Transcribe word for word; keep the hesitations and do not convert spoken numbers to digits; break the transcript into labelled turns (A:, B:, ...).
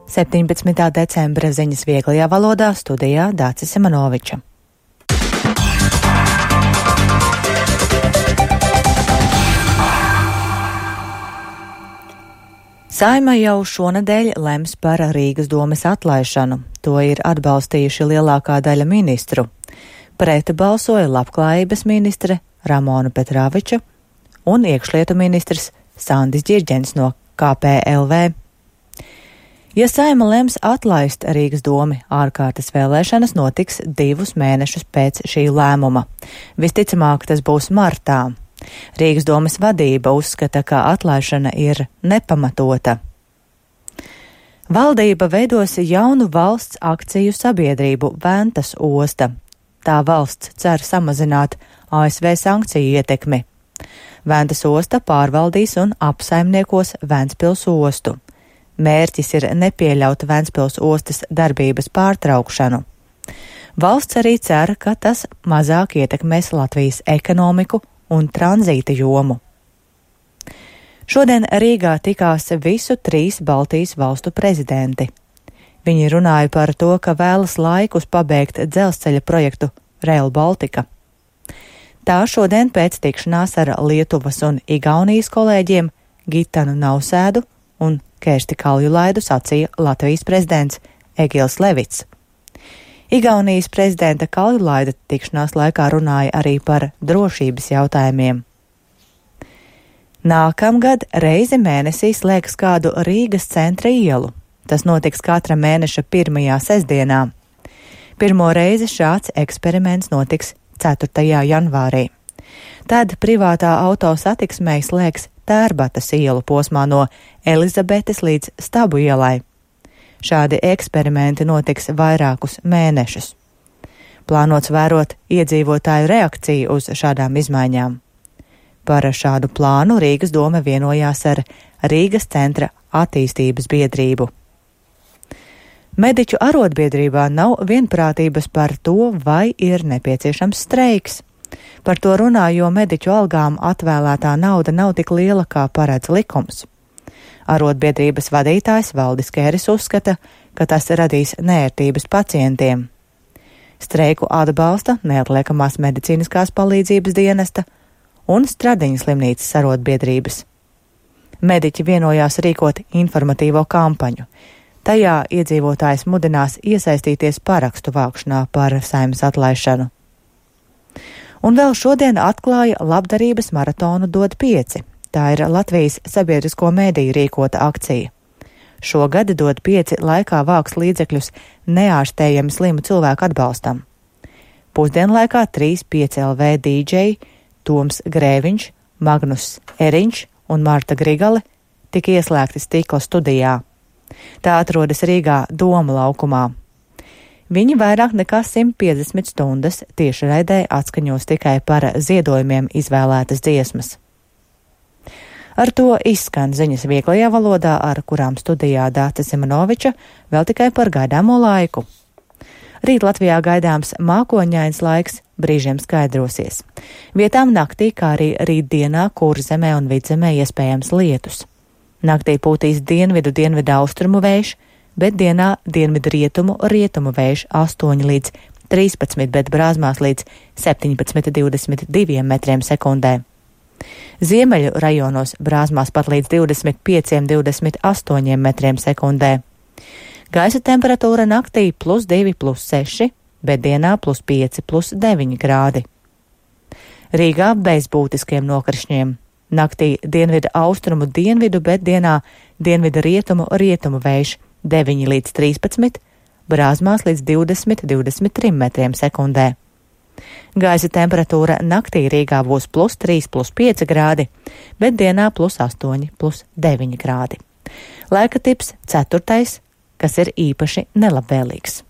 A: septiņpadsmitā decembra ziņas vieglajā valodā, studijā Dācis Simanoviča. Saeima jau šonedēļ lems par Rīgas domes atlaišanu. To ir atbalstījuši lielākā daļa ministru. Pret balsoja labklājības ministre Ramona Petrāviča un iekšlietu ministrs Sandis Ģirģens no K P L V. Ja Saeima lems atlaist Rīgas domi, ārkārtas vēlēšanas notiks divus mēnešus pēc šī lēmuma. Visticamāk, tas būs martā. Rīgas domes vadība uzskata, ka atlaišana ir nepamatota. Valdība veidos jaunu valsts akciju sabiedrību Ventas osta. Tā valsts cer samazināt A S V sankciju ietekmi. Ventas osta pārvaldīs un apsaimniekos Ventspils ostu. Mērķis ir nepieļaut Ventspils ostas darbības pārtraukšanu. Valsts arī cer, ka tas mazāk ietekmēs Latvijas ekonomiku un tranzīta jomu. Šodien Rīgā tikās visu trīs Baltijas valstu prezidenti. Viņi runāja par to, ka vēlas laikus pabeigt dzelzceļa projektu Rail Baltica. Tā šodien pēc tikšanās ar Lietuvas un Igaunijas kolēģiem Gitanu Nausēdu un Kersti Kaljulaidu sacīja Latvijas prezidents Egils Levits. Igaunijas prezidenta Kaljulaida tikšanās laikā runāja arī par drošības jautājumiem. Nākamgad reizi mēnesī slēgs kādu Rīgas centra ielu. Tas notiks katra mēneša pirmajā sestdienā. Pirmo reizi šāds eksperiments notiks ceturtajā janvārī. Tad privātā auto satiksmei slēgs Tērbatas ielu posmā no Elizabetes līdz Stabu ielai. Šādi eksperimenti notiks vairākus mēnešus. Plānots vērot iedzīvotāju reakciju uz šādām izmaiņām. Par šādu plānu Rīgas doma vienojās ar Rīgas centra attīstības biedrību. Mediķu arotbiedrībā nav vienprātības par to, vai ir nepieciešams streiks. Par to runā, jo mediķu algām atvēlētā nauda nav tik liela, kā paredz likums. Arotbiedrības vadītājs Valdis Kēris uzskata, ka tas radīs neērtības pacientiem. Streiku atbalsta neatliekamās medicīniskās palīdzības dienesta un Stradiņas slimnīcas arotbiedrības. Mediķi vienojās rīkot informatīvo kampaņu. Tajā iedzīvotājs mudinās iesaistīties parakstu vākšanā par Saeimas atlaišanu. Un vēl šodien atklāja labdarības maratonu Dod pieci. Tā ir Latvijas sabiedrisko mediju rīkota akcija. Šogad Dod pieci laikā vāks līdzekļus neārstējami slimu cilvēku atbalstam. Pusdienlaikā trīs pieci L V dīdžeji Toms Grēviņš, Magnus Eriņš un Marta Grigale tika ieslēgti stikla studijā. Tā atrodas Rīgā Doma laukumā. Viņi vairāk nekā simt piecdesmit stundas tiešraidē atskaņos tikai par ziedojumiem izvēlētas dziesmas. Ar to izskan ziņas vieglajā valodā, ar kurām studijā Dācis Simanoviča, vēl tikai par gaidāmo laiku. Rīt Latvijā gaidāms mākoņains laiks, brīžiem skaidrosies. Vietām naktī, kā arī rītdienā Kurzemē un Vidzemē iespējams lietus. Naktī pūtīs dienvidu dienvidu austrumu vējš, bet dienā dienvidu rietumu rietumu vējš astoņi līdz trīspadsmit, bet brāzmās līdz septiņpadsmit divdesmit divi metriem sekundē. Ziemeļu rajonos brāzmās pat līdz divdesmit pieci divdesmit astoņi metriem sekundē. Gaisa temperatūra naktī plus divi plus seši, bet dienā plus pieci plus deviņi grādi. Rīgā bez būtiskiem nokrišņiem. Naktī dienvidu austrumu dienvidu, bet dienā dienvidu rietumu rietumu vējš deviņi līdz trīspadsmit, brāzmās līdz divdesmit divdesmit trīs metriem sekundē. Gaisa temperatūra naktī Rīgā būs plus trīs plus pieci grādi, bet dienā plus astoņi plus deviņi grādi. Laika tips ceturtais, kas ir īpaši nelabvēlīgs.